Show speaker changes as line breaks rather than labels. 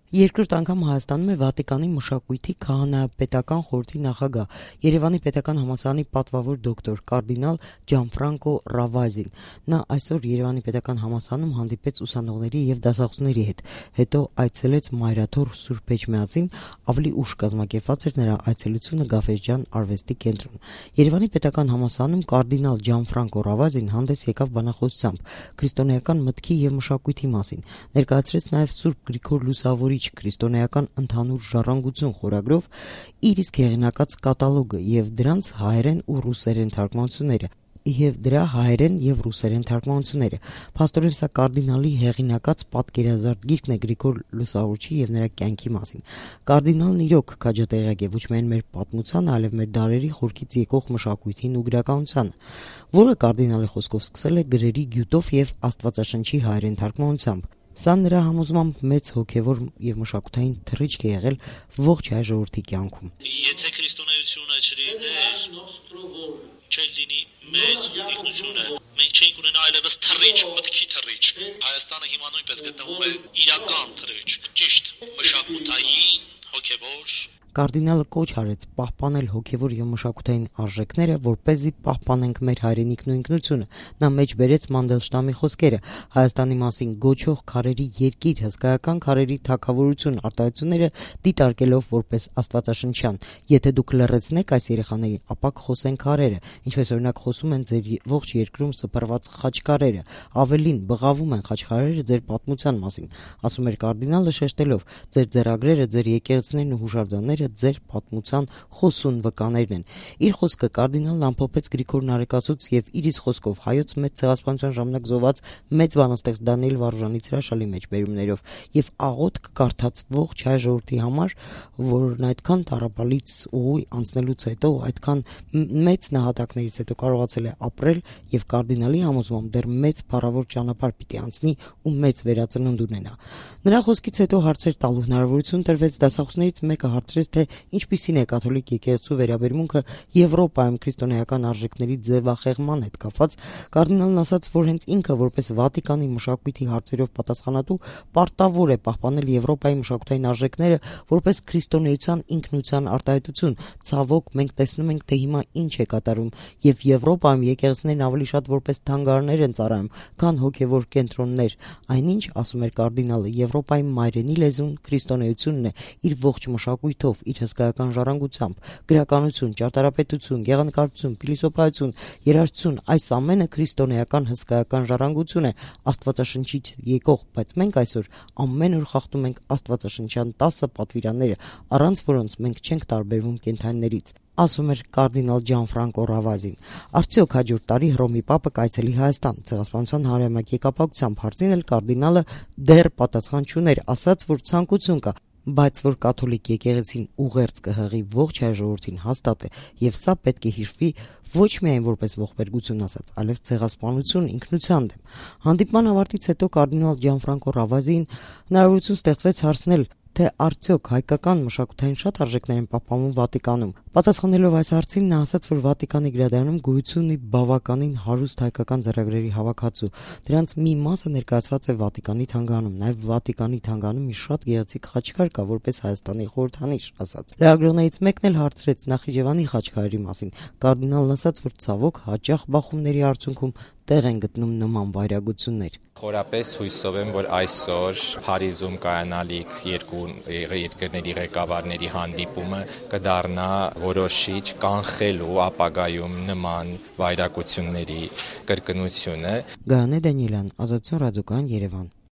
Երկրորդ անգամ Հայաստանում է Վատիկանի մշակույթի քահանայապետական խորհրդի նախագահ, Երևանի պետական համալսարանի պատվավոր դոկտոր կարդինալ Ջանֆրանկո Ռավազին։ Նա այսօր Երևանի պետական համալսարանում հանդիպեց ուսանողների եւ դասախոսների հետ, հետո այցելեց Մայրաթոր Սուրբ Էջմիածին, ավելի ուշ կազմակերպված էր նրա այցելությունը Գաֆէսճեան արվեստի կենտրոն։ Երևանի պետական համալսարանում կարդինալ Ջանֆրանկո Ռավազին հանդես եկավ բանախոսությամբ քրիստոնեական մտքի եւ մշակույթի մասին, ներկայացրեց նաեւ Սուրբ Գրիգոր Լուսավորիչ քրիստոնեական ընդհանուր ժառանգություն խորագրով իր իսկ հեղինակած կատալոգը եւ դրանց հայերեն ու ռուսերեն թարգմանությունները։ Փաստորեն սա կարդինալի հեղինակած պատկերազարդ գիրքն է Գրիգոր Լուսավորչի եւ նրա կյանքի մասին։ Կարդինալն իրոք քաջատեղյակ է ոչ միայն մեր պատմության, այլև մեր դարերի խորքից եկող մշակույթին ու գրականությանը, որը կարդինալի խոսքով սկսել է գրերի գյուտով եւ Աստվածաշնչի հայերեն թարգմանությամբ։ Սա նրա համոզմամբ մեծ հոգևոր եւ մշակութային թռիչք է եղել ողջ հայ ժողովրդի կյանքում։
Եթե քրիստոնեությունը չլիներ, չէր լինի մեր ինքնությունը, մենք չենք ունենա այլևս թռիչք, մտքի թռիչք։ Հայաստանը հիմա նույնպես գտնվում է իրական թռիչք, ճիշտ մշակութային, հոգևոր։
Կարդինալը կոչ արեց պահպանել հոգևոր եւ մշակութային արժեքները, որպեսզի պահպանենք մեր հայրենիքն ու ինքնությունը։ Նա մեջ բերեց Մանդելշտամի խոսքերը, Հայաստանի մասին գոչող քարերի երկիր, հսկայական քարերի թագավորություն արտահայտությունները դիտարկելով որպես աստվածաշնչյան։ Եթե դուք լռեցնեք այս երեխաներին, ապա կխոսեն քարերը, ինչպես օրինակ խոսում են ձեր ողջ երկրում սփռված խաչքարերը, ավելին բղավում են խաչքարերը ձեր պատմության մասին, ասում էր կարդինալը շեշտելով. ձեր ձեռագրերը, ձեր եկեղեցիներն ու հուշարձանները ձեր պատմության խոսուն վկաներն են։ Իր խոսքը կարդինալն ամփոփեց Գրիգոր Նարեկացուց եւ իր իսկ խոսքով հայոց մեծ ցեղասպանության ժամանակ զոհված մեծ բանաստեղծ Դանիել Վարուժանից հրաշալի մեջբերումներով եւ աղոթք կարդաց ողջ հայ ժողովրդի համար, որն այդքան տառապալից ուղի անցնելուց հետո, այդքան մեծ նահատակներից հետո կարողացել է ապրել եւ կարդինալի համոզմամբ դեռ մեծ փառավոր ճանապարհ պիտի անցնի ու մեծ վերածնունդ ունենա։ Նրա խոսքից հետո հարցեր տալու հնարավորություն տրվեց, դասախոսներից մեկը հարցրեց, թե ինչպիսին է կաթոլիկ եկեղեցու վերաբերմունքը Եվրոպայում քրիստոնեական արժեքների ձևախեղման հետ կապված։ Կարդինալն ասաց, որ հենց ինքը որպես Վատիկանի մշակույթի հարցերով պատասխանատու պարտավոր է պահպանել Եվրոպայի մշակութային արժեքները որպես քրիստոնեության ինքնության արտահայտություն։ Ցավոք մենք տեսնում ենք, թե հիմա ինչ է կատարում, եւ Եվրոպայում եկեղեցիներն ավելի շատ որպես թանգարաններ են ծառայում, քան հոգևոր կենտրոններ։ Այնինչ, ասում էր կարդինալը, Եվրոպայի մայրենի լեզուն քրիստոնեությունն է իր ողջ մշակույթով, իր հսկայական ժառանգությամբ, գրականություն, ճարտարապետություն, գեղանկարչություն, փիլիսոփայություն, երաժշտություն, այս ամենը քրիստոնեական հսկայական ժառանգություն է, Աստվածաշնչից եկող, բայց մենք այսօր ամեն օր խախտում ենք աստվածաշնչյան 10 պատվիրանները, առանց որոնց մենք չենք տարբերվում կենդանիներից, ասում էր կարդինալ Ջանֆրանկո Ռավազին։ Արդյոք հաջորդ տարի Հռոմի Պապը կայցելի Հայաստան ցեղասպանության 100-ամյակի կապակցությամբ հարցին էլ կարդինալը դեռ պատասխան չուներ, ասաց, որ ցանկություն կա, բայց որ կաթոլիկ եկեղեցին ուղերձ կհղի ողջ հայ ժողովրդին հաստատ է, եւ սա պետք է հիշվի ոչ միայն որպես ողբերգություն ասած, այլև ցեղասպանություն ինքնության դեմ։ Հանդիպման ավարտից հետո կարդինալ Ջանֆրանկո Ռավազին հնարավորություն ստեղծվեց հարցնել, թե արդյոք հայկական մշակութային շատ արժեքներ են պահպանվում Վատիկանում։ Պատասխանելով այս հարցին նա ասաց, որ Վատիկանի գրադարանում գոյություն ունի բավականին հարուստ հայկական ձեռագրերի հավաքածու։ Դրանց մի մասը ներկայացված է Վատիկանի թանգարանում, նաև Վատիկանի թանգարանում մի շատ գեղեցիկ խաչքար կա, որպես Հայաստանի խորհրդանիշ, ասաց։ Լրագրողներից մեկն էլ հարցրեց Նախիջևանի խաչքարերի մասին։ Կարդինալն ասաց, որ ցավոք հաճախ բախումների արդյունքում տեղ են գտնում նման վայրագություններ։
Խորապես հույսով եմ, որ այսօր Փարիզում կայանալիք երկու երկրների ղեկավարների հանդիպումը կդառնա որոշիչ կանխելու ապագայում նման վայրագությունների կրկնությունը։
Գայանե Դանիելյան, Ազատություն ռադիոկայան, Երևան։